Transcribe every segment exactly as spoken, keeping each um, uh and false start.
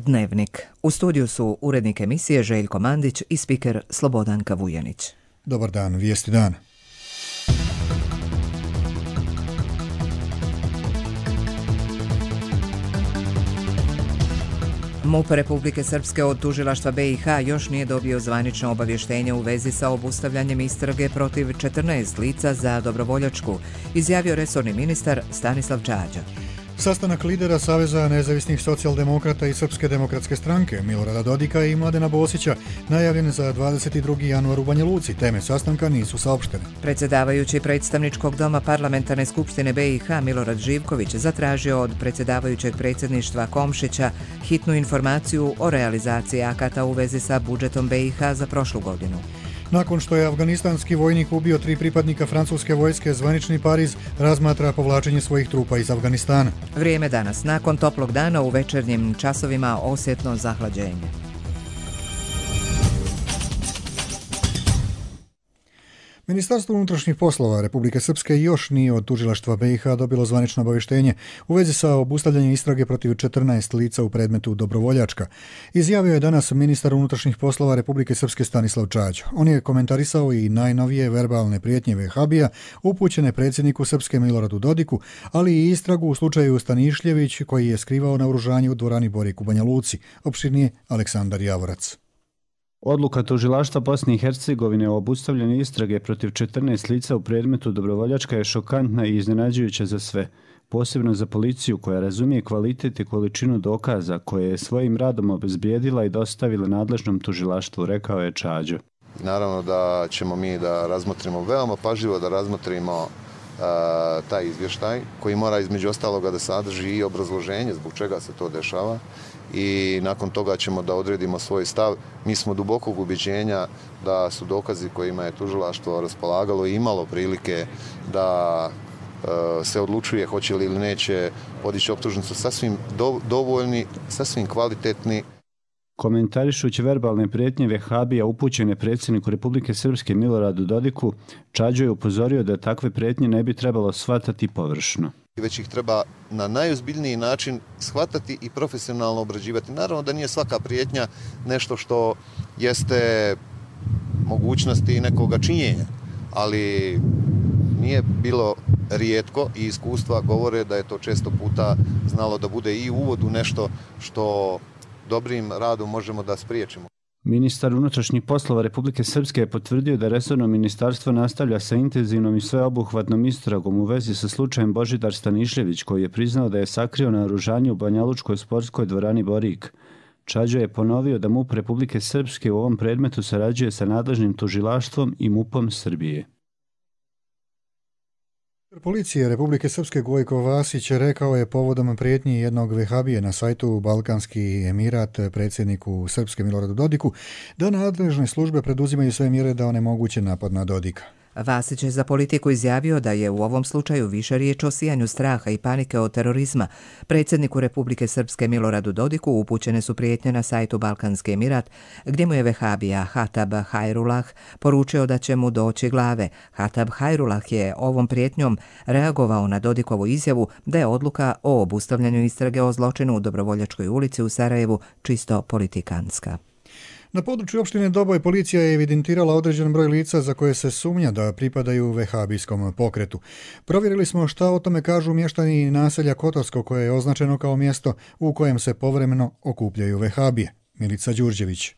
Dnevnik. U studiju su urednik emisije Željko Mandić i spiker Slobodanka Vujanić. Dobar dan, vijesti dana. MUP Republike Srpske od tužilaštva B i H još nije dobio zvanično obavještenje u vezi sa obustavljanjem istrage protiv četrnaest lica za dobrovoljačku, izjavio resorni ministar Stanislav Čađa. Sastanak lidera Saveza nezavisnih socijaldemokrata i Srpske demokratske stranke Milorada Dodika i Mladena Bosića najavljen za dvadeset drugi januar u Banja Luci. Teme sastanka nisu saopštene. Predsjedavajući predstavničkog doma Parlamentarne skupštine B i H Milorad Živković zatražio od predsjedavajućeg predsjedništva Komšića hitnu informaciju o realizaciji akata u vezi sa budžetom B i H za prošlu godinu. Nakon što je afganistanski vojnik ubio tri pripadnika francuske vojske, zvanični Pariz razmatra povlačenje svojih trupa iz Afganistana. Vrijeme danas. Nakon toplog dana u večernjim časovima osjetno zahlađenje. Ministarstvo unutrašnjih poslova Republike Srpske još nije od tužilaštva B i H dobilo zvanično obavještenje u vezi sa obustavljanjem istrage protiv četrnaest lica u predmetu dobrovoljačka. Izjavio je danas ministar unutrašnjih poslova Republike Srpske Stanislav Čađa. On je komentarisao i najnovije verbalne prijetnje Vehabija upućene predsjedniku Srpske Miloradu Dodiku, ali i istragu u slučaju Stanišljević koji je skrivao naoružanje u dvorani Borik u Banja Luci. Opširnije Aleksandar Javorac. Odluka tužilaštva Bosne i Hercegovine o obustavljanju istrage protiv četrnaest lica u predmetu dobrovoljačka je šokantna i iznenađujuća za sve, posebno za policiju koja razumije kvalitet i količinu dokaza koje je svojim radom obezbijedila i dostavila nadležnom tužilaštvu, rekao je Čađo. Naravno da ćemo mi da razmotrimo, veoma pažljivo da razmotrimo uh, taj izvještaj koji mora između ostaloga da sadrži i obrazloženje zbog čega se to dešava. I nakon toga ćemo da odredimo svoj stav. Mi smo dubokog ubjeđenja da su dokazi kojima je tužilaštvo raspolagalo i imalo prilike da e, se odlučuje hoće li ili neće podići optužnicu sasvim do, dovoljni, sasvim kvalitetni. Komentarišući verbalne prijetnje Vehabija upućene predsjedniku Republike Srpske Miloradu Dodiku, Čađo je upozorio da takve prijetnje ne bi trebalo shvatati površno. Već ih treba na najozbiljniji način shvatati i profesionalno obrađivati. Naravno da nije svaka prijetnja nešto što jeste mogućnosti nekoga činjenja, ali nije bilo rijetko i iskustva govore da je to često puta znalo da bude i uvod u nešto što dobrim radom možemo da spriječimo. Ministar unutrašnjih poslova Republike Srpske je potvrdio da resorno ministarstvo nastavlja sa intenzivnom i sveobuhvatnom istragom u vezi sa slučajem Božidar Stanišljević, koji je priznao da je sakrio naoružanje u banjalučkoj sportskoj dvorani Borik. Čađo je ponovio da MUP Republike Srpske u ovom predmetu sarađuje sa nadležnim tužilaštvom i MUP-om Srbije. Policije Republike Srpske Gojko Vasić rekao je povodom prijetnji jednog Vehabije na sajtu Balkanski Emirat predsjedniku Srpske Miloradu Dodiku da nadležne službe preduzimaju sve mjere da onemoguće napad na Dodika. Vasić je za Politiku izjavio da je u ovom slučaju više riječ o sijanju straha i panike od terorizma. Predsjedniku Republike Srpske Miloradu Dodiku upućene su prijetnje na sajtu Balkanski Emirat, gdje mu je Vehabija Hatab Hajrullah poručio da će mu doći glave. Hatab Hajrullah je ovom prijetnjom reagovao na Dodikovu izjavu da je odluka o obustavljanju istrage o zločinu u Dobrovoljačkoj ulici u Sarajevu čisto politikanska. Na području opštine Doboj policija je evidentirala određen broj lica za koje se sumnja da pripadaju vehabijskom pokretu. Provjerili smo šta o tome kažu mještani naselja Kotorsko koje je označeno kao mjesto u kojem se povremeno okupljaju vehabije. Milica Đurđević.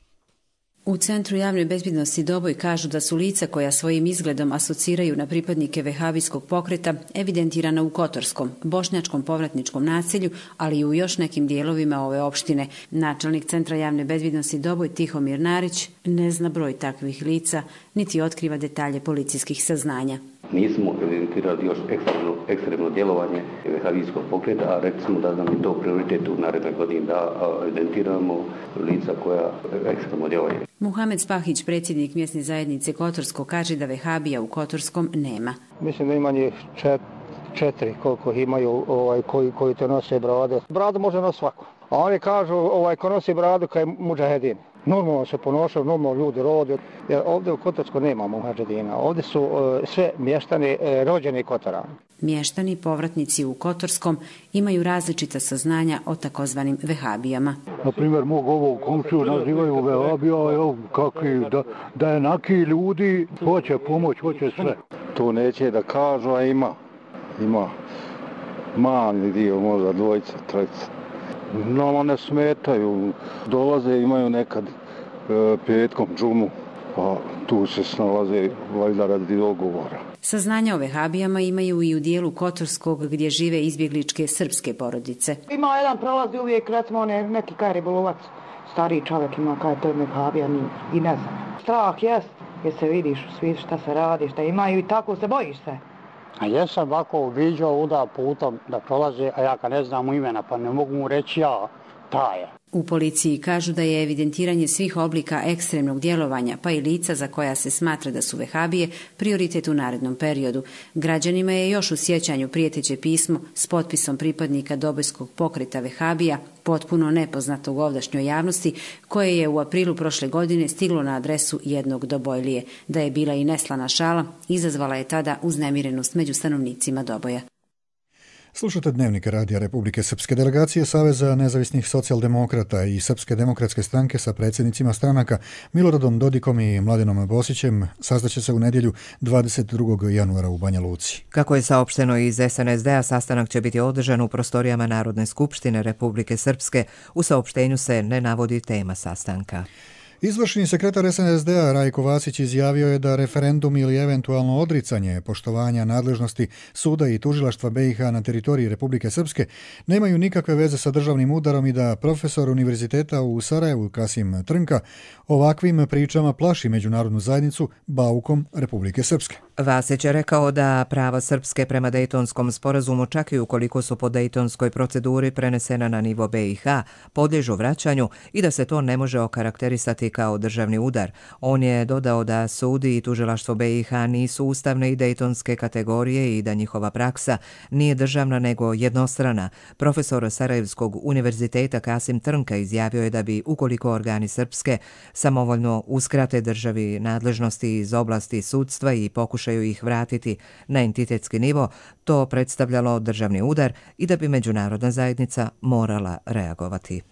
U Centru javne bezbjednosti Doboj kažu da su lica koja svojim izgledom asociraju na pripadnike vehabijskog pokreta evidentirana u Kotorskom, bošnjačkom povratničkom naselju, ali i u još nekim dijelovima ove opštine. Načelnik Centra javne bezbjednosti Doboj Tihomir Narić ne zna broj takvih lica, niti otkriva detalje policijskih saznanja. Nismo evidentirali još ekstremno, ekstremno djelovanje vehabijskog pokreta, a rekli smo da nam je to prioritet u narednoj godini da evidentiramo lica koja ekstremno djeluju. Muhamed Spahić, predsjednik mjesne zajednice Kotorsko, kaže da vehabija u Kotorskom nema. Mislim da ima njih čet, četiri koliko imaju ovaj, koji, koji te nose brade. Bradu može nositi svako. A oni kažu ovaj, ko nosi bradu kao je mudžahedin. normalno se ponošaju, normalno ljudi rode, jer ovdje u Kotorsku nemamo muhadžedina, ovdje su uh, sve mještani uh, rođeni Kotora. Mještani povratnici u Kotorskom imaju različita saznanja o takozvanim vehabijama. Na primjer, mog ovog komšiju nazivaju vehabija, kakvi, da, da je naki ljudi, hoće pomoć, hoće sve. To neće da kažu, a ima, ima mali dio, možda dvojica, trojica. Nama ne smetaju, dolaze, imaju nekad e, petkom džumu, pa tu se snalaze valjda radi dogovora. Saznanja o vehabijama imaju i u dijelu Kotorskog gdje žive izbjegličke srpske porodice. Ima jedan prolazi uvijek, recimo ne, neki kaj ribolovac, stariji čovjek ima kaj to je vehabija i ne znam. Strah jest, jer se vidiš u svijetu šta se radi, šta imaju i tako se bojiš se. A jesam ovako viđao uda putom da prolaze, a ja kad ne znam mu imena, pa ne mogu mu reći ja, ta je. U policiji kažu da je evidentiranje svih oblika ekstremnog djelovanja, pa i lica za koja se smatra da su vehabije, prioritet u narednom periodu. Građanima je još u sjećanju prijeteće pismo s potpisom pripadnika Dobojskog pokreta vehabija, potpuno nepoznatog ovdašnjoj javnosti, koje je u aprilu prošle godine stiglo na adresu jednog Dobojlije. Da je bila i neslana šala, izazvala je tada uznemirenost među stanovnicima Doboja. Slušate Dnevnik radija Republike Srpske. Delegacije Saveza nezavisnih socijaldemokrata i Srpske demokratske stranke sa predsjednicima stranaka Miloradom Dodikom i Mladenom Bosićem sastaće se u nedjelju dvadeset drugog januara u Banja Luci. Kako je saopšteno iz es en es de a, sastanak će biti održan u prostorijama Narodne skupštine Republike Srpske. U saopštenju se ne navodi tema sastanka. Izvršni sekretar es en es de a Rajko Vasić izjavio je da referendum ili eventualno odricanje poštovanja nadležnosti suda i tužilaštva be i ha na teritoriji Republike Srpske nemaju nikakve veze sa državnim udarom i da profesor univerziteta u Sarajevu Kasim Trnka ovakvim pričama plaši međunarodnu zajednicu baukom Republike Srpske. Vasić je rekao da prava Srpske prema Dejtonskom sporazumu, čak i ukoliko su po Dejtonskoj proceduri prenesena na nivo be i ha, podliježu vraćanju i da se to ne može okarakterisati kao državni udar. On je dodao da sudi i tužilaštvo be i ha nisu ustavne i dejtonske kategorije i da njihova praksa nije državna nego jednostrana. Profesor Sarajevskog univerziteta Kasim Trnka izjavio je da bi, ukoliko organi Srpske samovoljno uskrate državi nadležnosti iz oblasti sudstva i pokušaju ih vratiti na entitetski nivo, to predstavljalo državni udar i da bi međunarodna zajednica morala reagovati.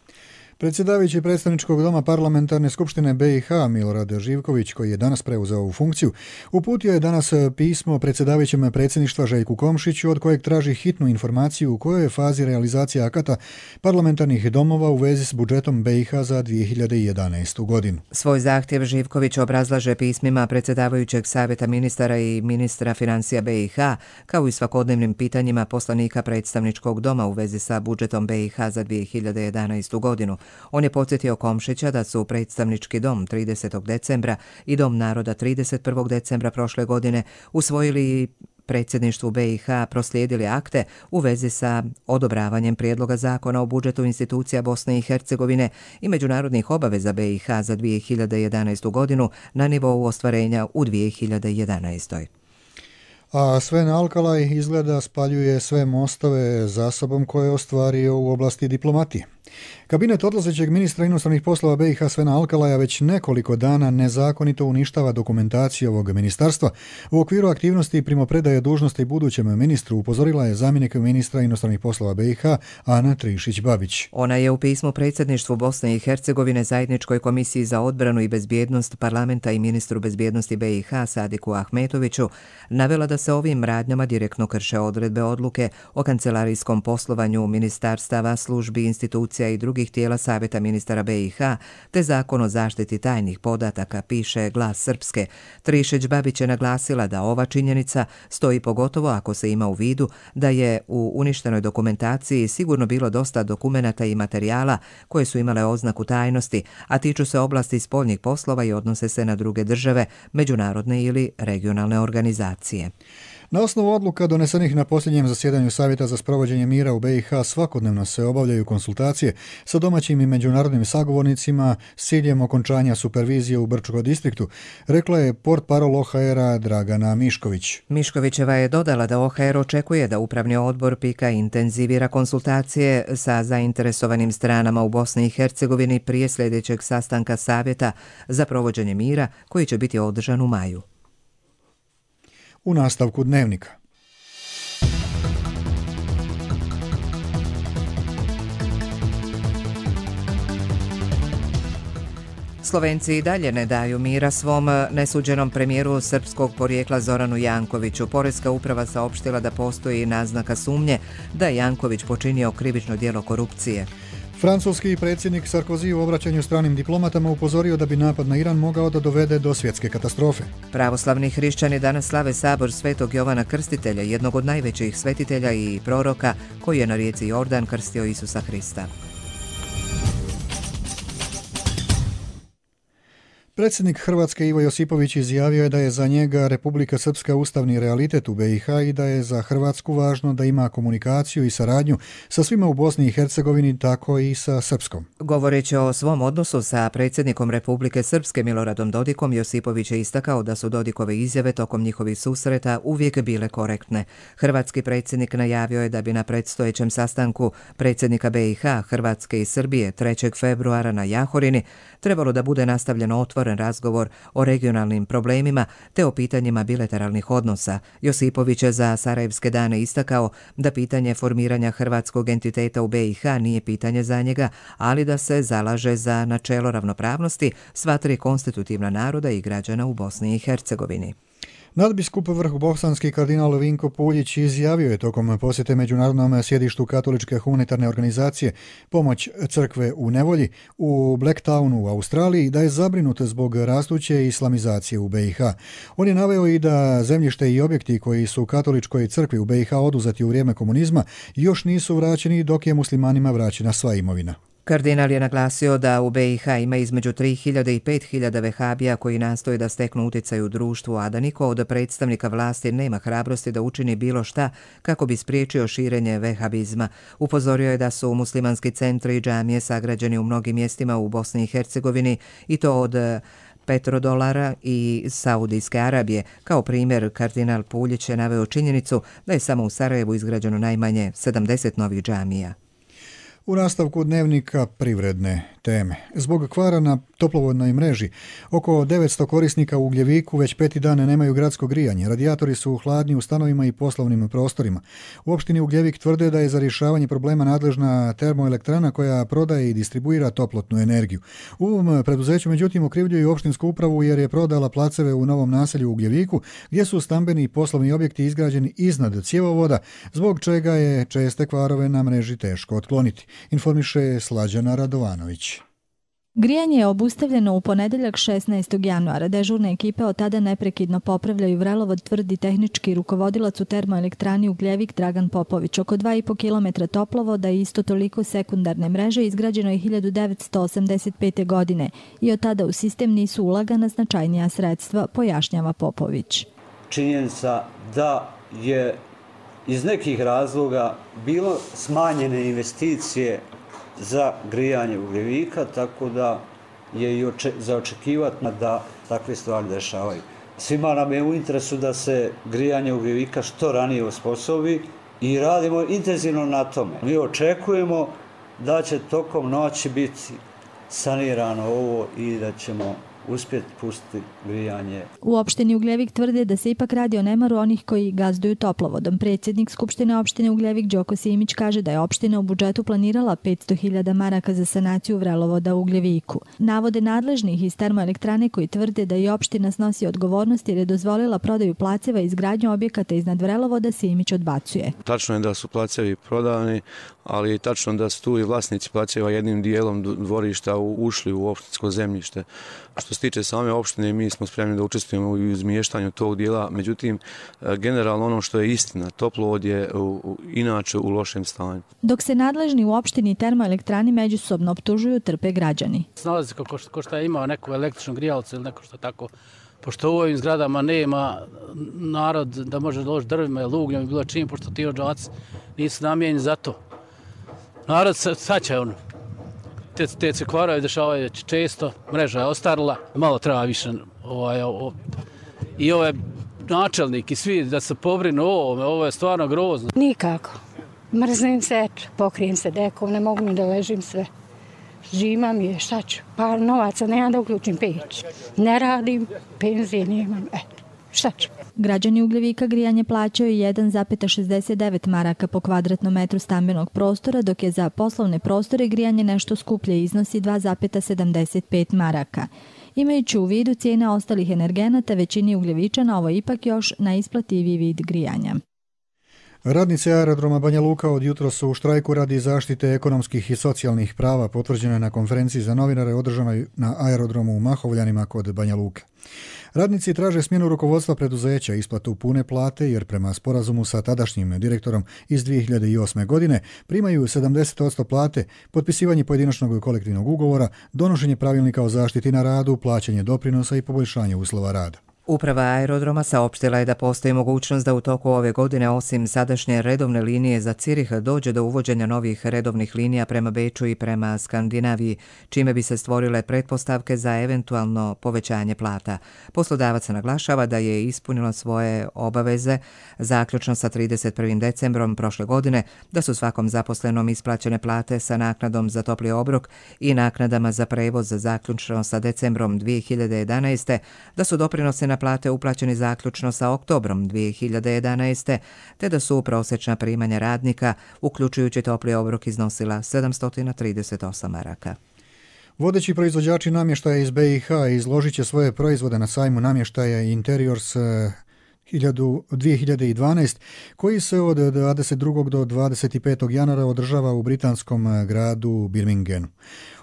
Predsjedavajući predstavničkog doma parlamentarne skupštine be i ha Milorad Živković, koji je danas preuzeo ovu funkciju, uputio je danas pismo predsjedavajućem predsjedništva Željku Komšiću, od kojeg traži hitnu informaciju u kojoj je fazi realizacija akata parlamentarnih domova u vezi s budžetom be i ha za dvije hiljade jedanaestu. godinu. Svoj zahtjev Živković obrazlaže pismima predsjedavajućeg savjeta ministara i ministra financija be i ha, kao i svakodnevnim pitanjima poslanika predstavničkog doma u vezi sa budžetom be i ha za dvije hiljade jedanaestu. godinu. On je podsjetio Komšića da su predstavnički dom tridesetog decembra i dom naroda trideset prvog decembra prošle godine usvojili predsjedništvu be i ha proslijedili akte u vezi sa odobravanjem prijedloga zakona o budžetu institucija Bosne i Hercegovine i međunarodnih obaveza be i ha za dvije hiljade jedanaestu. godinu na nivou ostvarenja u dvije hiljade jedanaestoj. A Sven Alkalaj izgleda spaljuje sve mostove za sobom koje je ostvario u oblasti diplomatije. Kabinet odlazećeg ministra inostranih poslova be i ha Svena Alkalaja već nekoliko dana nezakonito uništava dokumentaciju ovog ministarstva. U okviru aktivnosti primopredaje dužnosti budućem ministru upozorila je zamjenik ministra inostranih poslova be i ha Ana Trišić-Babić. Ona je u pismu predsjedništvu Bosne i Hercegovine, Zajedničkoj komisiji za odbranu i bezbjednost parlamenta i ministru bezbjednosti be i ha Sadiku Ahmetoviću navela da se ovim radnjama direktno krše odredbe odluke o kancelarijskom poslovanju ministarstava, službi, institucija i drugih tijela Savjeta ministara be i ha, te zakon o zaštiti tajnih podataka, piše Glas Srpske. Trišić-Babić je naglasila da ova činjenica stoji pogotovo ako se ima u vidu da je u uništenoj dokumentaciji sigurno bilo dosta dokumenata i materijala koje su imale oznaku tajnosti, a tiču se oblasti spoljnih poslova i odnose se na druge države, međunarodne ili regionalne organizacije. Na osnovu odluka donesenih na posljednjem zasjedanju Savjeta za sprovođenje mira u B i H svakodnevno se obavljaju konsultacije sa domaćim i međunarodnim sagovornicima s ciljem okončanja supervizije u Brčko distriktu, rekla je portparol O H R-a Dragana Mišković. Miškovićeva je dodala da O H R očekuje da upravni odbor PIK-a intenzivira konsultacije sa zainteresovanim stranama u Bosni i Hercegovini prije sljedećeg sastanka Savjeta za provođenje mira koji će biti održan u maju. U nastavku dnevnika. Slovenci i dalje ne daju mira svom nesuđenom premijeru srpskog porijekla Zoranu Jankoviću. Poreska uprava saopštila da postoji naznaka sumnje da je Janković počinio krivično djelo korupcije. Francuski predsjednik Sarkozy u obraćanju stranim diplomatama upozorio da bi napad na Iran mogao da dovede do svjetske katastrofe. Pravoslavni hrišćani danas slave sabor Svetog Jovana Krstitelja, jednog od najvećih svetitelja i proroka koji je na rijeci Jordan krstio Isusa Hrista. Predsjednik Hrvatske Ivo Josipović izjavio je da je za njega Republika Srpska ustavni realitet u B i H i da je za Hrvatsku važno da ima komunikaciju i saradnju sa svima u Bosni i Hercegovini, tako i sa Srpskom. Govoreći o svom odnosu sa predsjednikom Republike Srpske Miloradom Dodikom, Josipović je istakao da su Dodikove izjave tokom njihovih susreta uvijek bile korektne. Hrvatski predsjednik najavio je da bi na predstojećem sastanku predsjednika B i H, Hrvatske i Srbije trećeg februara na Jahorini trebalo da bude nastavljeno otvoren razgovor o regionalnim problemima te o pitanjima bilateralnih odnosa. Josipović je za Sarajevske dane istakao da pitanje formiranja hrvatskog entiteta u B i H nije pitanje za njega, ali da se zalaže za načelo ravnopravnosti sva tri konstitutivna naroda i građana u Bosni i Hercegovini. Nadbiskup vrhbosanski kardinal Vinko Puljić izjavio je tokom posjete međunarodnom sjedištu katoličke humanitarne organizacije Pomoć crkve u nevolji u Blacktownu u Australiji da je zabrinut zbog rastuće islamizacije u B i H. On je naveo i da zemljište i objekti koji su katoličkoj crkvi u B i H oduzeti u vrijeme komunizma još nisu vraćeni dok je muslimanima vraćena sva imovina. Kardinal je naglasio da u B i H ima između tri hiljade i pet hiljada vehabija koji nastoje da steknu utjecaj u društvu, a da niko od predstavnika vlasti nema hrabrosti da učini bilo šta kako bi spriječio širenje vehabizma. Upozorio je da su muslimanski centri i džamije sagrađeni u mnogim mjestima u Bosni i Hercegovini i to od petrodolara i Saudijske Arabije. Kao primjer, kardinal Puljić je naveo činjenicu da je samo u Sarajevu izgrađeno najmanje sedamdeset novih džamija. U nastavku dnevnika privredne teme. Zbog kvara na toplovodnoj mreži, oko devetsto korisnika u Ugljeviku već peti dan nemaju gradsko grijanje. Radijatori su hladni u stanovima i poslovnim prostorima. U opštini Ugljevik tvrde da je za rješavanje problema nadležna termoelektrana koja prodaje i distribuira toplotnu energiju. U ovom preduzeću međutim okrivljuju opštinsku upravu jer je prodala placeve u novom naselju u Ugljeviku gdje su stambeni i poslovni objekti izgrađeni iznad cjevovoda, zbog čega je česte kvarove na mreži teško otkloniti. Informiše Slađana Radovanović. Grijanje je obustavljeno u ponedeljak šesnaestog januara. Dežurne ekipe od tada neprekidno popravljaju vrelovod, tvrdi tehnički rukovodilac u termoelektrani Ugljevik Dragan Popović. Oko dva i po kilometra toplovoda i isto toliko sekundarne mreže izgrađeno je hiljadu devetsto osamdeset pete. godine i od tada u sistem nisu ulagana značajnija sredstva, pojašnjava Popović. Činjenica da je iz nekih razloga bilo smanjene investicije za grijanje Ugljevika, tako da je i oče, za očekivati da takve stvari dešavaju. Svima nam je u interesu da se grijanje Ugljevika što ranije osposobi i radimo intenzivno na tome. Mi očekujemo da će tokom noći biti sanirano ovo i da ćemo uspjeti pustiti grijanje. U opštini Ugljevik tvrde da se ipak radi o nemaru onih koji gazduju toplovodom. Predsjednik Skupštine opštine Ugljevik Đoko Simić kaže da je opština u budžetu planirala petsto hiljada maraka za sanaciju vrelovoda u Ugljeviku. Navode nadležnih iz termoelektrane koji tvrde da i opština snosi odgovornost jer je dozvolila prodaju placeva i izgradnju objekata iznad vrelovoda, Simić odbacuje. Tačno je da su placevi prodani, ali je tačno da su tu i vlasnici placeva jednim dijelom dvorišta ušli u opštinsko zemljište. Što se tiče same opštine, mi smo spremni da učestvujemo u izmještanju tog dijela, međutim, generalno ono što je istina, toplovod je u, u, inače u lošem stanju. Dok se nadležni u opštini i termoelektrani međusobno optužuju, trpe građani. Snalazi ko, ko što je imao neku električnu grijalcu ili neko što tako pošto u ovim zgradama nema narod da može doći drvima ili ugljem i bilo čim, pošto ti odžaci nisu namijenjeni za to. Narod se saća ono. Te, te se kvaraju, dešavaju često, mreža je ostarila, malo treba više ovaj, o, i ovaj načelnik i svi da se pobrinu o ovome, ovo je stvarno grozno. Nikako. Mrzim seč, pokrijem se dekom, ne mogu ni da ležim sve. Zima mi je, šta ću? Pa novaca nemam da uključim peć. Ne radim, penzije nemam, eto, šta ću? Građani Ugljevika grijanje plaćaju jedan zarez šezdeset devet maraka po kvadratnom metru stambenog prostora, dok je za poslovne prostore grijanje nešto skuplje, iznosi dva zarez sedamdeset pet maraka. Imajući u vidu cijene ostalih energenata, većini Ugljevičana ovo je ipak još najisplativiji vid grijanja. Radnici aerodroma Banja Luka od jutro su u štrajku radi zaštite ekonomskih i socijalnih prava, potvrđeno je na konferenciji za novinare održanoj na aerodromu u Mahovljanima kod Banja Luke. Radnici traže smjenu rukovodstva preduzeća, isplatu pune plate jer prema sporazumu sa tadašnjim direktorom iz dvije hiljade osme. godine primaju sedamdeset posto plate, potpisivanje pojedinačnog kolektivnog ugovora, donošenje pravilnika o zaštiti na radu, plaćanje doprinosa i poboljšanje uslova rada. Uprava aerodroma saopštila je da postoji mogućnost da u toku ove godine osim sadašnje redovne linije za Cirih dođe do uvođenja novih redovnih linija prema Beču i prema Skandinaviji, čime bi se stvorile pretpostavke za eventualno povećanje plata. Poslodavac naglašava da je ispunila svoje obaveze zaključno sa trideset prvim decembrom prošle godine, da su svakom zaposlenom isplaćene plate sa naknadom za topli obrok i naknadama za prevoz zaključno sa decembrom dvije hiljade jedanaeste. da su doprinosi na plate uplaćeni zaključno sa oktobrom dvije hiljade jedanaeste. te da su prosječna primanja radnika, uključujući topli obrok, iznosila sedamsto trideset osam maraka. Vodeći proizvođači namještaja iz be i ha izložit će svoje proizvode na sajmu namještaja Interiors dvije hiljade dvanaeste. koji se od dvadeset drugog do dvadeset petog januara održava u britanskom gradu Birminghamu.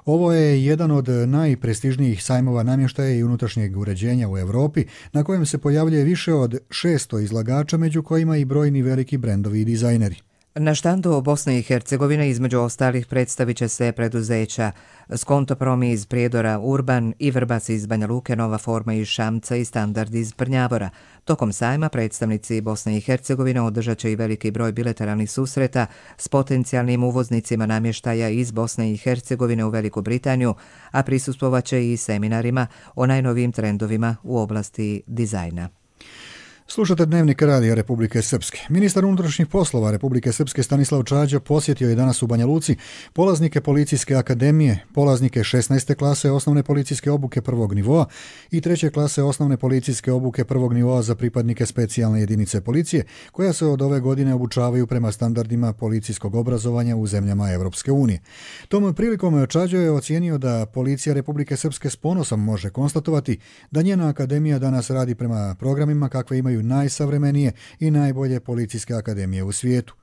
Ovo je jedan od najprestižnijih sajmova namještaja i unutrašnjeg uređenja u Europi, na kojem se pojavljuje više od šesto izlagača, među kojima i brojni veliki brendovi i dizajneri. Na štandu Bosne i Hercegovine između ostalih predstavit će se preduzeća Skontoprom iz Prijedora, Urban i Vrbas iz Banja Luke, Nova forma iz Šamca i Standard iz Prnjavora. Tokom sajma predstavnici Bosne i Hercegovine održat će i veliki broj bilateralnih susreta s potencijalnim uvoznicima namještaja iz Bosne i Hercegovine u Veliku Britaniju, a prisustvovat će i seminarima o najnovijim trendovima u oblasti dizajna. Slušate Dnevnik radija Republike Srpske. Ministar unutrašnjih poslova Republike Srpske Stanislav Čađa posjetio je danas u Banja Luci polaznike Policijske akademije, polaznike šesnaeste klase osnovne policijske obuke prvog nivoa i treće klase osnovne policijske obuke prvog nivoa za pripadnike specijalne jedinice policije, koja se od ove godine obučavaju prema standardima policijskog obrazovanja u zemljama Evropske unije. Tom prilikom Čađa je ocijenio da Policija Republike Srpske s ponosom može konstatovati da njena akademija danas radi prema programima kakve imaju najsavremenije i najbolje policijske akademije u svijetu.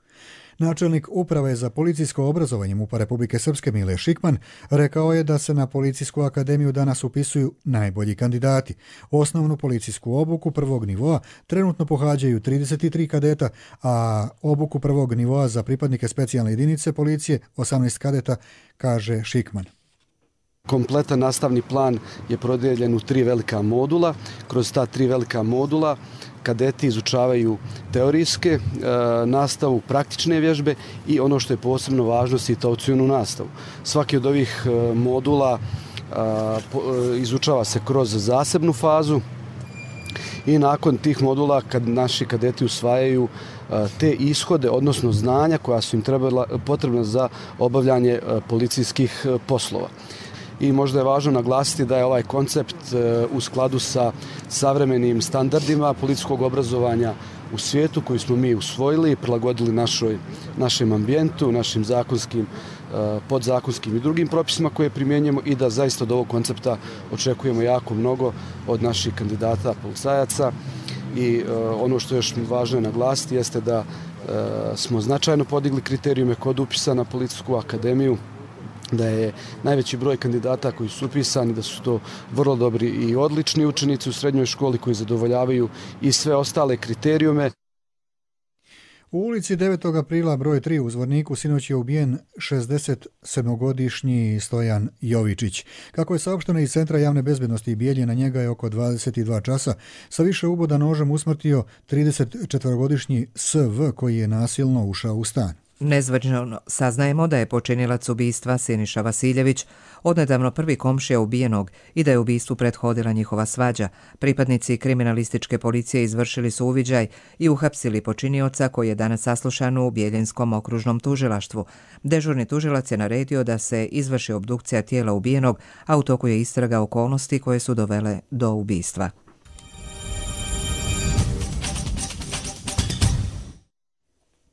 Načelnik Uprave za policijsko obrazovanje MUP-a Republike Srpske Mile Šikman rekao je da se na Policijsku akademiju danas upisuju najbolji kandidati. Osnovnu policijsku obuku prvog nivoa trenutno pohađaju trideset tri kadeta, a obuku prvog nivoa za pripadnike specijalne jedinice policije osamnaest kadeta, kaže Šikman. Kompletan nastavni plan je podijeljen u tri velika modula. Kroz ta tri velika modula kadeti izučavaju teorijske e, nastavu, praktične vježbe i ono što je posebno važno, situacionu nastavu. Svaki od ovih e, modula e, po, e, izučava se kroz zasebnu fazu i nakon tih modula kad naši kadeti usvajaju e, te ishode, odnosno znanja koja su im trebala, potrebna za obavljanje e, policijskih e, poslova. I možda je važno naglasiti da je ovaj koncept u skladu sa savremenim standardima policijskog obrazovanja u svijetu koji smo mi usvojili i prilagodili našoj, našem ambijentu, našim zakonskim, podzakonskim i drugim propisima koje primjenjujemo i da zaista od ovog koncepta očekujemo jako mnogo od naših kandidata policajaca. I ono što je još važno je naglasiti jeste da smo značajno podigli kriterijume kod upisa na Policijsku akademiju, da je najveći broj kandidata koji su upisani, da su to vrlo dobri i odlični učenici u srednjoj školi koji zadovoljavaju i sve ostale kriterijume. U ulici devetog aprila broj tri u Zvorniku sinoć je ubijen šezdeset sedmogodišnji Stojan Jovičić. Kako je saopšteno iz Centra javne bezbednosti Bijelje, na njega je oko dvadeset dva časa sa više uboda nožem usmrtio trideset četvorogodišnji S V koji je nasilno ušao u stan. Nezvačno saznajemo da je počinilac ubistva Siniša Vasiljević, odnedavno prvi komšija ubijenog, i da je ubistvu prethodila njihova svađa. Pripadnici kriminalističke policije izvršili su uviđaj i uhapsili počinioca koji je danas saslušan u Bijeljenskom okružnom tužilaštvu. Dežurni tužilac je naredio da se izvrši obdukcija tijela ubijenog, a u toku je istraga okolnosti koje su dovele do ubistva.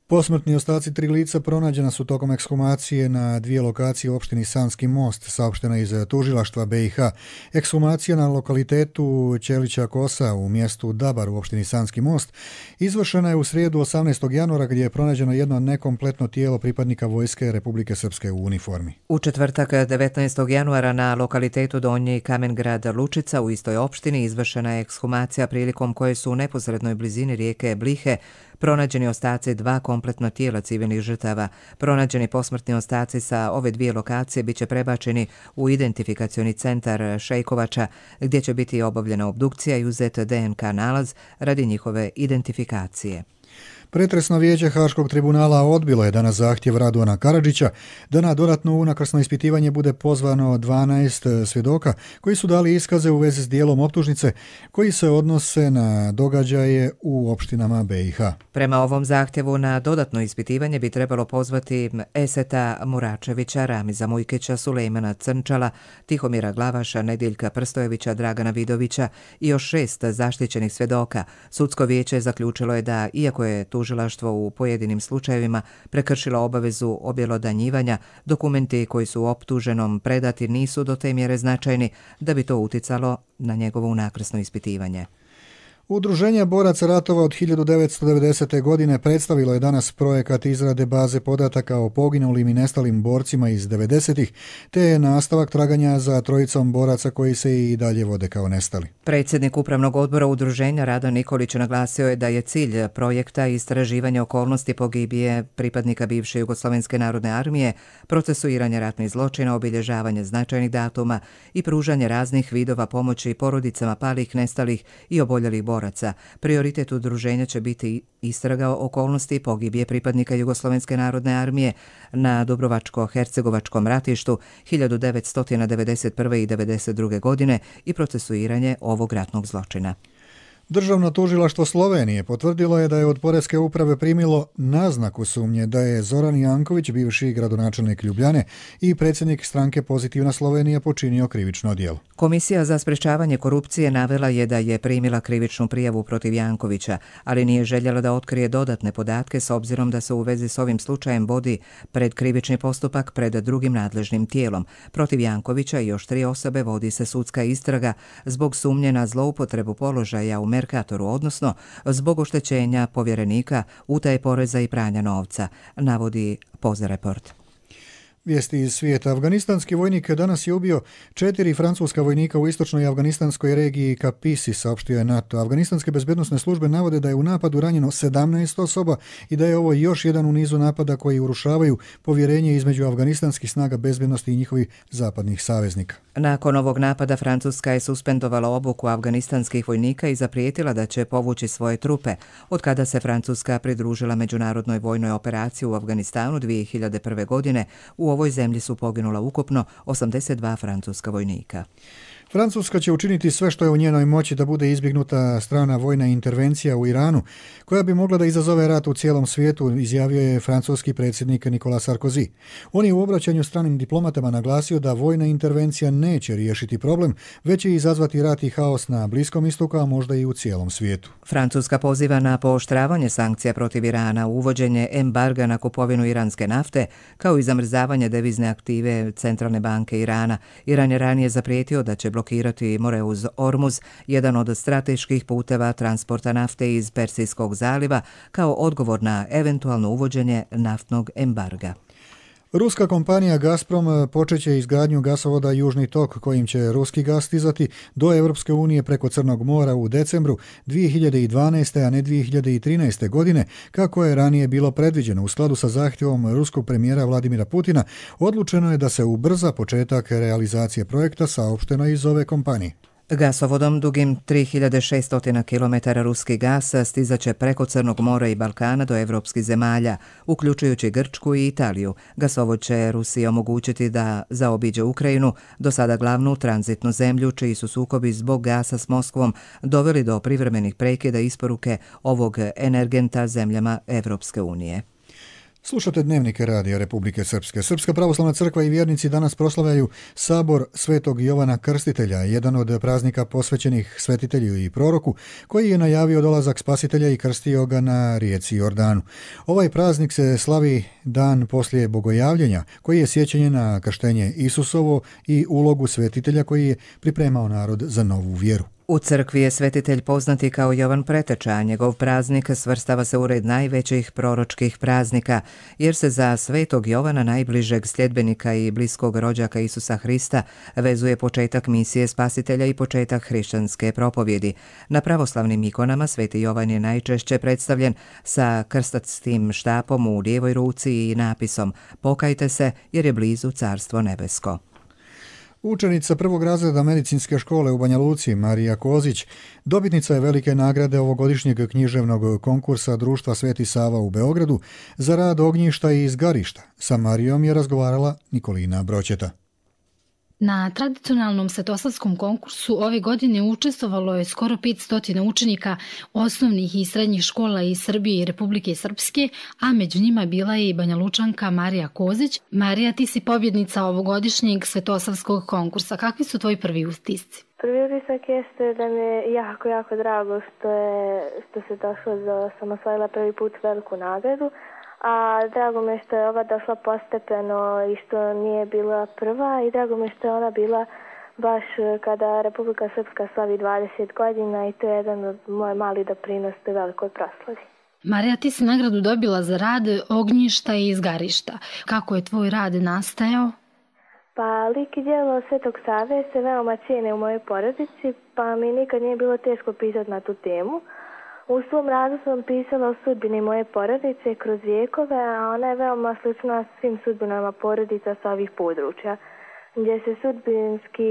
Posmrtni ostaci tri lica pronađena su tokom ekshumacije na dvije lokacije u opštini Sanski Most, saopštena iz tužilaštva B i H. Ekshumacija na lokalitetu Ćelića Kosa u mjestu Dabar u opštini Sanski Most izvršena je u srijedu osamnaestog januara gdje je pronađeno jedno nekompletno tijelo pripadnika Vojske Republike Srpske u uniformi. U četvrtak devetnaestog januara na lokalitetu Donji Kamengrad Lučica u istoj opštini izvršena je ekshumacija prilikom koje su u neposrednoj blizini rijeke Blihe pronađeni ostaci dva kompletno tijela civilnih žrtava. Pronađeni posmrtni ostaci sa ove dvije lokacije biće prebačeni u identifikacioni centar Šejkovača, gdje će biti obavljena obdukcija i uzet D N K nalaz radi njihove identifikacije. Pretresno vijeće Haškog tribunala odbilo je danas zahtjev Radovana Karadžića da na dodatno unakrsno ispitivanje bude pozvano dvanaest svjedoka koji su dali iskaze u vezi s dijelom optužnice koji se odnose na događaje u opštinama B i H. Prema ovom zahtjevu na dodatno ispitivanje bi trebalo pozvati Eseta Muračevića, Ramiza Mujkića, Sulejmana Crnčala, Tihomira Glavaša, Nediljka Prstojevića, Dragana Vidovića i još šest zaštićenih svjedoka. Sudsko vijeće zaključilo je da, iako je tužilaštvo u pojedinim slučajevima prekršilo obavezu objelodanjivanja, dokumenti koji su optuženom predati nisu do te mjere značajni da bi to uticalo na njegovo unakrsno ispitivanje. Udruženje boraca ratova od hiljadu devetsto devedesete. godine predstavilo je danas projekat izrade baze podataka o poginulim i nestalim borcima iz devedesetih, te je nastavak traganja za trojicom boraca koji se i dalje vode kao nestali. Predsjednik Upravnog odbora udruženja Rado Nikolić naglasio je da je cilj projekta istraživanje okolnosti pogibije pripadnika bivše Jugoslovenske narodne armije, procesuiranje ratnih zločina, obilježavanje značajnih datuma i pružanje raznih vidova pomoći porodicama palih, nestalih i oboljelih boraca. Prioritet udruženja će biti istraga okolnosti pogibije pripadnika Jugoslovenske narodne armije na Dubrovačko-Hercegovačkom ratištu hiljadu devetsto devedeset prve. i devedeset druge. godine i procesuiranje ovog ratnog zločina. Državno tužilaštvo Slovenije potvrdilo je da je od Poreske uprave primilo naznaku sumnje da je Zoran Janković, bivši gradonačelnik Ljubljane i predsjednik stranke Pozitivna Slovenija, počinio krivično djelo. Komisija za sprečavanje korupcije navela je da je primila krivičnu prijavu protiv Jankovića, ali nije željela da otkrije dodatne podatke s obzirom da se u vezi s ovim slučajem vodi pred krivični postupak pred drugim nadležnim tijelom. Protiv Jankovića i još tri osobe vodi se sudska istraga zbog sumnje na zloupotrebu položaja u Merkatoru, odnosno zbog oštećenja povjerenika, utaje poreza i pranja novca, navodi Poza Report. Vijesti iz svijeta. Afganistanski vojnik danas je ubio četiri francuska vojnika u istočnoj afganistanskoj regiji Kapisi, saopštio je NATO. Afganistanske bezbednosne službe navode da je u napadu ranjeno sedamnaest osoba i da je ovo još jedan u nizu napada koji urušavaju povjerenje između afganistanskih snaga bezbednosti i njihovih zapadnih saveznika. Nakon ovog napada Francuska je suspendovala obuku afganistanskih vojnika i zaprijetila da će povući svoje trupe, od kada se Francuska pridružila međunarodnoj vojnoj operaciji u Afganistanu dvije hiljade prve. godine. U ovoj zemlji su poginula ukupno osamdeset dva francuska vojnika. Francuska će učiniti sve što je u njenoj moći da bude izbjegnuta strana vojna intervencija u Iranu, koja bi mogla da izazove rat u cijelom svijetu, izjavio je francuski predsjednik Nicolas Sarkozy. On je u obraćanju stranim diplomatama naglasio da vojna intervencija neće riješiti problem, već će izazvati rat i haos na Bliskom istoku, a možda i u cijelom svijetu. Francuska poziva na pooštravanje sankcija protiv Irana, uvođenje embarga na kupovinu iranske nafte, kao i zamrzavanje devizne aktive Centralne banke Irana. Iran je ranije zaprijetio da će blokirati Moreuz Ormuz, jedan od strateških puteva transporta nafte iz Persijskog zaliva, kao odgovor na eventualno uvođenje naftnog embarga. Ruska kompanija Gazprom počeće izgradnju gasovoda Južni tok kojim će ruski gaz stizati do Europske unije preko Crnog mora u decembru dvije hiljade dvanaeste. a ne dvije hiljade trinaeste. godine, kako je ranije bilo predviđeno. U skladu sa zahtjevom ruskog premijera Vladimira Putina, odlučeno je da se ubrza početak realizacije projekta, saopšteno iz ove kompanije. Gasovodom dugim tri hiljade šesto kilometara ruski gas stizaće preko Crnog mora i Balkana do evropskih zemalja, uključujući Grčku i Italiju. Gasovod će Rusiji omogućiti da zaobiđe Ukrajinu, do sada glavnu tranzitnu zemlju, čiji su sukobi zbog gasa s Moskvom doveli do privremenih prekida isporuke ovog energenta zemljama Evropske unije. Slušate dnevnike Radija Republike Srpske. Srpska pravoslavna crkva i vjernici danas proslavljaju Sabor Svetog Jovana Krstitelja, jedan od praznika posvećenih svetitelju i proroku, koji je najavio dolazak Spasitelja i krstio ga na rijeci Jordanu. Ovaj praznik se slavi dan poslije bogojavljenja, koji je sjećanje na krštenje Isusovo i ulogu svetitelja koji je pripremao narod za novu vjeru. U crkvi je svetitelj poznati kao Jovan Preteča, a njegov praznik svrstava se u red najvećih proročkih praznika, jer se za svetog Jovana, najbližeg sljedbenika i bliskog rođaka Isusa Hrista, vezuje početak misije Spasitelja i početak hrišćanske propovjedi. Na pravoslavnim ikonama sveti Jovan je najčešće predstavljen sa krstatskim štapom u lijevoj ruci i napisom "Pokajte se jer je blizu Carstvo nebesko". Učenica prvog razreda medicinske škole u Banja Luci, Marija Kozić, dobitnica je velike nagrade ovogodišnjeg književnog konkursa Društva Sveti Sava u Beogradu za rad ognjišta i izgarišta. Sa Marijom je razgovarala Nikolina Broćeta. Na tradicionalnom svetosavskom konkursu ove godine učestvovalo je skoro petsto učenika osnovnih i srednjih škola iz Srbije i Republike Srpske, a među njima bila je i Banja Lučanka Marija Kozić. Marija, ti si pobjednica ovogodišnjeg svetosavskog konkursa. Kakvi su tvoji prvi utisci? Prvi utisak jeste da mi je jako, jako drago što, je, što se došlo da sam osvojila prvi put veliku nagradu. A drago mi je što je ova došla postepeno i što nije bila prva i drago mi je što je ona bila baš kada Republika Srpska slavi dvadeset godina i to je jedan od moj mali doprinos u velikoj proslavi. Marija, ti si nagradu dobila za rad ognjišta i izgarišta. Kako je tvoj rad nastajao? Pa lik i djelo Svetog Save se veoma cijene u mojoj porodici, pa mi nikad nije bilo teško pisati na tu temu. U svom radu sam pisala o sudbini moje porodice kroz vijekove, a ona je veoma slična svim sudbinama porodica sa ovih područja, gdje se sudbinski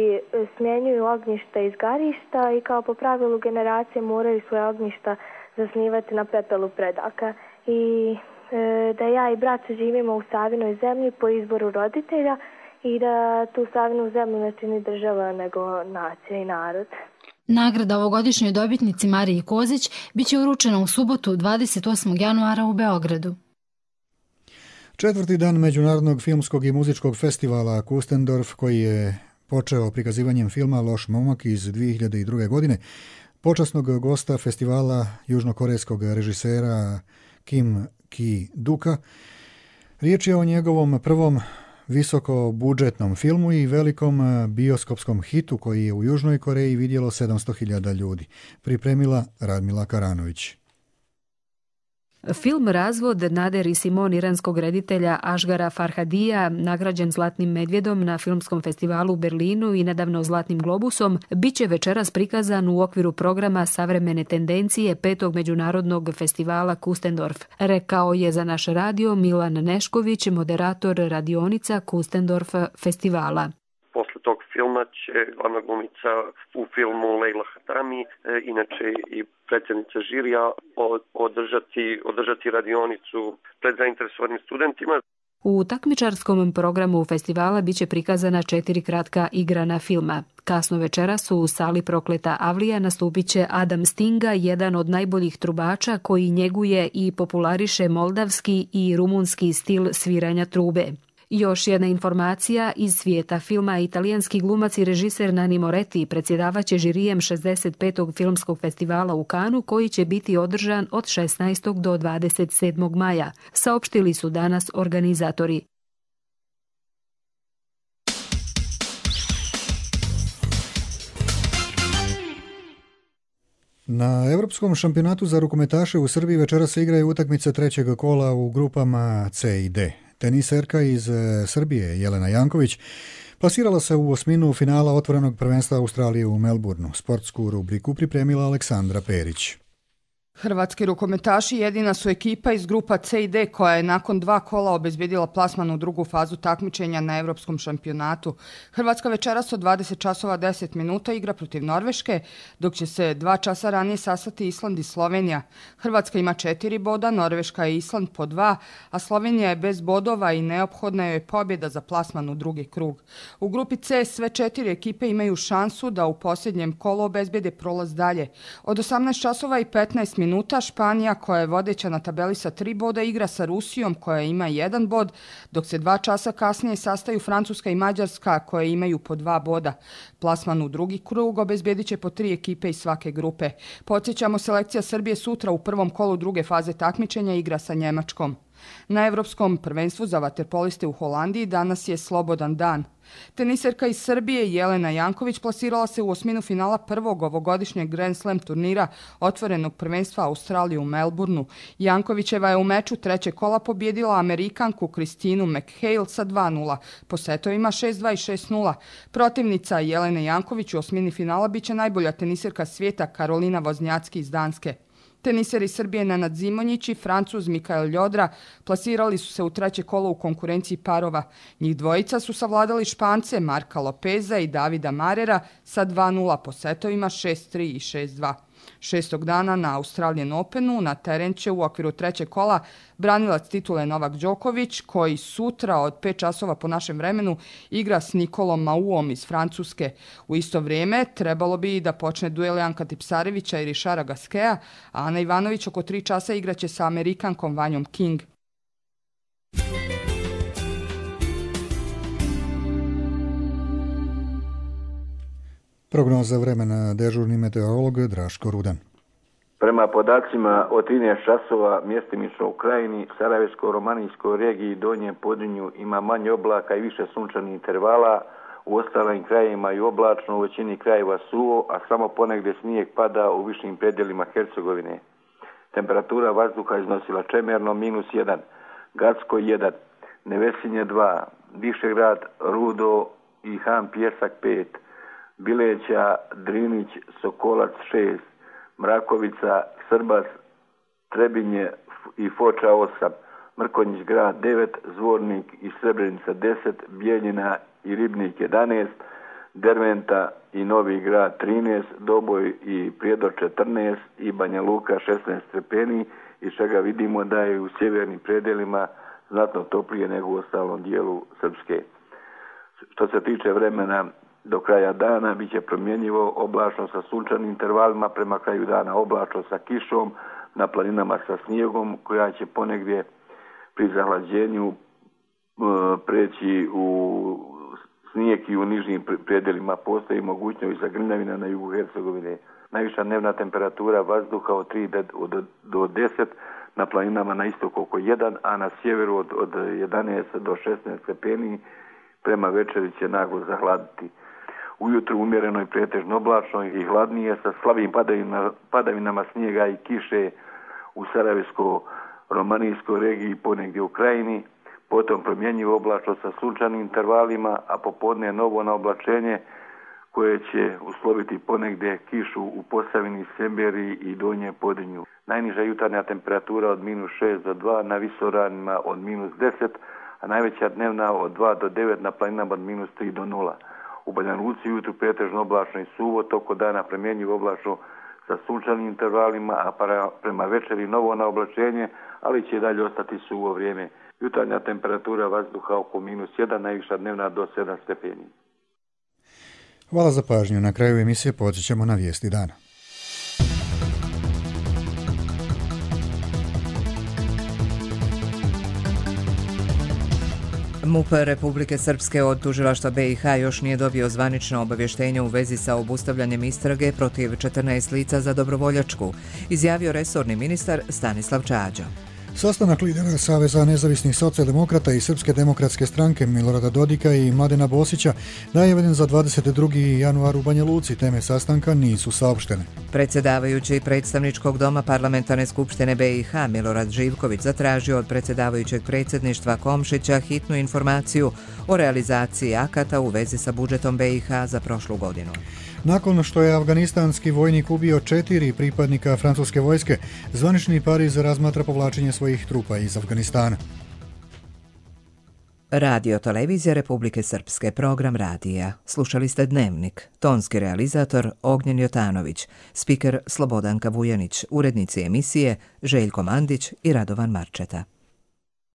smjenjuju ognjišta i izgarišta i kao po pravilu generacije moraju svoje ognjišta zasnivati na pepelu predaka. I e, da ja i brat živimo u Savinoj zemlji po izboru roditelja i da tu Savinu zemlju ne čini država nego nacija i narod. Nagrada ovogodišnjoj dobitnici Mariji Kozić biće uručena u subotu dvadeset osmog januara u Beogradu. Četvrti dan Međunarodnog filmskog i muzičkog festivala Kustendorf, koji je počeo prikazivanjem filma Loš momak iz dvije hiljade druge. godine, počasnog gosta festivala južnokorejskog režisera Kim Ki-duka. Riječ je o njegovom prvom visokobudžetnom filmu i velikom bioskopskom hitu koji je u Južnoj Koreji vidjelo sedamsto hiljada ljudi. Pripremila Radmila Karanović. Film Razvod Nader Simon iranskog reditelja Ašgara Farhadija, nagrađen Zlatnim medvjedom na filmskom festivalu u Berlinu i nedavno Zlatnim globusom, bit će večeras prikazan u okviru programa Savremene tendencije petog međunarodnog festivala Kustendorf, rekao je za naš radio Milan Nešković, moderator radionica Kustendorf festivala. Posle tog filma će glavna glumica u filmu Lejla Hatami, inače i predsjednica žirija, održati, održati radionicu pred zainteresovanim studentima. U takmičarskom programu festivala biće prikazana četiri kratka igrana filma. Kasno večeras u sali Prokleta Avlija nastupit će Adam Stinga, jedan od najboljih trubača koji njeguje i populariše moldavski i rumunski stil sviranja trube. Još jedna informacija iz svijeta filma. Italijanski glumac i režiser Nanni Moretti predsjedavaće žirijem šezdeset petog filmskog festivala u Kanu, koji će biti održan od šesnaestog do dvadeset sedmog maja, saopštili su danas organizatori. Na Europskom šampionatu za rukometaše u Srbiji večeras se igraju utakmice trećeg kola u grupama C i D. Teniserka iz Srbije Jelena Janković plasirala se u osminu finala otvorenog prvenstva Australije u Melbourneu. Sportsku rubriku pripremila Aleksandra Perić. Hrvatski rukometaši jedina su ekipa iz grupa C i D koja je nakon dva kola obezbjedila plasman u drugu fazu takmičenja na Europskom šampionatu. Hrvatska večeras od dvadeset časova deset minuta igra protiv Norveške, dok će se dva časa ranije sastati Island i Slovenija. Hrvatska ima četiri boda, Norveška i Island po dva, a Slovenija je bez bodova i neophodna je pobjeda za plasman u drugi krug. U grupi C sve četiri ekipe imaju šansu da u posljednjem kolu obezbjede prolaz dalje. Od osamnaest časova i petnaest minuta minuta Španija, koja je vodeća na tabeli sa tri boda, igra sa Rusijom koja ima jedan bod, dok se dva časa kasnije sastaju Francuska i Mađarska koje imaju po dva boda. Plasman u drugi krug obezbjedit će po tri ekipe iz svake grupe. Podsjećamo, selekcija Srbije sutra u prvom kolu druge faze takmičenja igra sa Njemačkom. Na Europskom prvenstvu za vaterpoliste u Holandiji danas je slobodan dan. Teniserka iz Srbije Jelena Janković plasirala se u osminu finala prvog ovogodišnjeg Grand Slam turnira otvorenog prvenstva Australije u Melbourneu. Jankovićeva je u meču trećeg kola pobjedila Amerikanku Kristinu McHale sa dva nula, po setovima šest dva i šest nula. Protivnica Jelene Janković u osmini finala biće najbolja teniserka svijeta Karolina Voznjacki iz Danske. Teniseri Srbije Nenad Zimonjić i Francuz Mikael Ljodra plasirali su se u treće kolo u konkurenciji parova. Njih dvojica su savladali Špance Marka Lopeza i Davida Marera sa dva nula po setovima šest tri i šest dva. Šestog dana na Australian Openu na teren će u okviru trećeg kola branilac titule Novak Đoković, koji sutra od pet časova po našem vremenu igra s Nikolom Mauom iz Francuske. U isto vrijeme trebalo bi da počne duel Janka Tipsarevića i Rišara Gaskea, a Ana Ivanović oko tri časa igraće sa Amerikankom Vanjom King. Prognoza vremena, dežurni meteorolog Draško Rudan. Prema podacima od trinaest časova mjestimično u Krajini, Sarajevsko-Romanijskoj regiji i Donjem Podrinju ima manje oblaka i više sunčanih intervala, u ostalim krajevima i oblačno, u većini krajeva suvo, a samo ponegdje snijeg pada u višim predjelima Hercegovine. Temperatura vazduha iznosila Čemerno minus jedan, Gacko jedan, Nevesinje dva, Višegrad, Rudo i Han Pjesak pet, Bileća, Drinić, Sokolac šest, Mrakovica, Srbas, Trebinje i Foča osam, Mrkonjić grad devet, Zvornik i Srebrenica deset, Bijeljina i Ribnik jedanaest, Derventa i Novi grad trinaest, Doboj i Prijedor četrnaest i Banja Luka šesnaest stepeni, iz čega vidimo da je u sjevernim predelima znatno toplije nego u ostalom dijelu Srpske. Što se tiče vremena, do kraja dana bit će promjenjivo, oblačno sa sunčanim intervalima, prema kraju dana oblačno sa kišom, na planinama sa snijegom, koja će ponegdje pri zahlađenju e, preći u snijeg i u nižnim predelima. Postoji mogućnost zagrljavina na jugu Hercegovine. Najviša dnevna temperatura vazduha od tri do deset, na planinama na istoku oko jedan, a na sjeveru od, od jedanaest do šesnaest stepeni, prema večeri će naglo zahladiti. Ujutru umjereno i pretežno oblačno i hladnije sa slabim padavinama, padavinama snijega i kiše u Sarajevsko-Romanijskoj regiji, ponegdje u Krajini, potom promjenjivo oblačno sa sunčanim intervalima, a popodne novo na oblačenje koje će usloviti ponegdje kišu u Posavini, Semberiji i Donjem Podrinju. Najniža jutarnja temperatura od minus šest do dva, na visoranima od minus deset, a najveća dnevna od dva do devet, na planinama od minus tri do nula. U Banja Luci jutru pretežno oblačno i suvo, toko dana promjenjivo oblačno sa sunčanim intervalima, a para, prema večeri novo na oblačenje, ali će i dalje ostati suvo vrijeme. Jutarnja temperatura vazduha oko minus jedan, najviša dnevna do sedam stepeni. Hvala za pažnju. Na kraju emisije podsjećamo na vijesti dana. M U P Republike Srpske od tužilaštva B i H još nije dobio zvanično obavještenje u vezi sa obustavljanjem istrage protiv četrnaest lica za dobrovoljačku, izjavio resorni ministar Stanislav Čađa. Sastanak lidera Saveza nezavisnih socijaldemokrata i Srpske demokratske stranke Milorada Dodika i Mladena Bosića najavljen za dvadeset drugi januar u Banja Luci. Teme sastanka nisu saopštene. Predsjedavajući predstavničkog doma Parlamentarne skupštine B i H Milorad Živković zatražio od predsjedavajućeg predsjedništva Komšića hitnu informaciju o realizaciji akata u vezi sa budžetom B i H za prošlu godinu. Nakon što je afganistanski vojnik ubio četiri pripadnika francuske vojske, zvanični Pariz razmatra povlačenje svojih trupa iz Afganistana. Radio Televizija Republike Srpske, program radija. Slušali ste Dnevnik. Tonski realizator Ognjen Jotanović, spiker Slobodanka Vujanić, urednici emisije Željko Mandić i Radovan Marčeta.